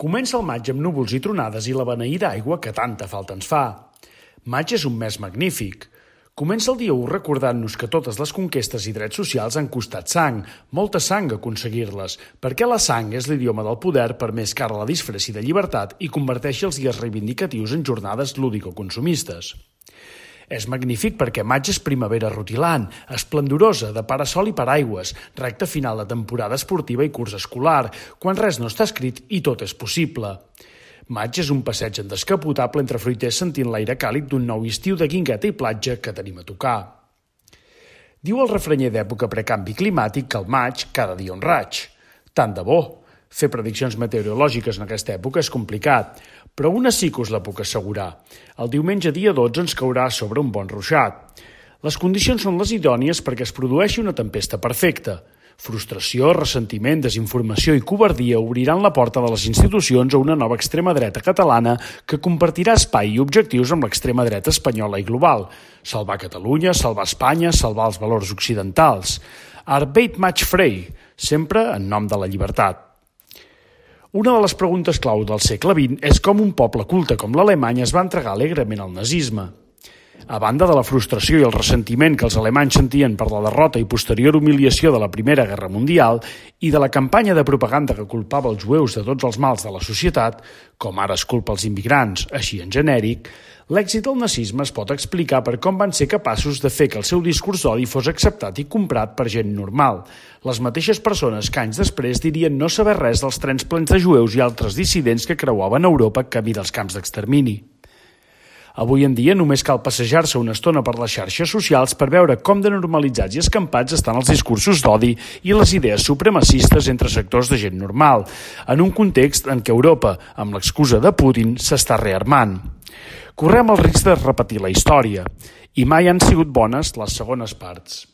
Comença el maig amb núvols i tronades i la beneïda aigua que tanta falta ens fa. Maig és un mes magnífic. Comença el dia 1 recordant-nos que totes les conquestes i drets socials han costat sang, molta sang aconseguir-les, perquè la sang és l'idioma del poder per més que ara la disfressi de llibertat i converteixi els dies reivindicatius en jornades lúdico-consumistes. És magnífic perquè maig és primavera rutilant, esplendorosa, de parasol i paraigües, recta final de temporada esportiva i curs escolar, quan res no està escrit i tot és possible. Maig és un passeig en descapotable entre fruiters sentint l'aire càlid d'un nou estiu de guingueta i platja que tenim a tocar. Diu el refrenyer d'època precanvi climàtic que al maig cada dia un raig. Tant de bo! Fer prediccions meteorològiques en aquesta època és complicat, però una sí que us la puc assegurar. El diumenge dia 12 ens caurà sobre un bon ruixat. Les condicions són les idònies perquè es produeixi una tempesta perfecta. Frustració, ressentiment, desinformació i covardia obriran la porta de les institucions a una nova extrema dreta catalana que compartirà espai i objectius amb l'extrema dreta espanyola i global. Salvar Catalunya, salvar Espanya, salvar els valors occidentals. Arbeit maig frei, sempre en nom de la llibertat. Una de les preguntes clau del segle XX és com un poble culte com l'Alemany es va entregar alegrement al nazisme. A banda de la frustració i el ressentiment que els alemanys sentien per la derrota i posterior humiliació de la Primera Guerra Mundial i de la campanya de propaganda que culpava els jueus de tots els mals de la societat, com ara es culpa els immigrants, així en genèric, l'èxit del nazisme es pot explicar per com van ser capaços de fer que el seu discurs d'odi fos acceptat i comprat per gent normal, les mateixes persones que anys després dirien no saber res dels trens plens de jueus i altres dissidents que creuaven Europa camí dels camps d'extermini. Avui en dia només cal passejar-se una estona per les xarxes socials per veure com de normalitzats i escampats estan els discursos d'odi i les idees supremacistes entre sectors de gent normal, en un context en què Europa, amb l'excusa de Putin, s'està rearmant. Correm el risc de repetir la història, i mai han sigut bones les segones parts.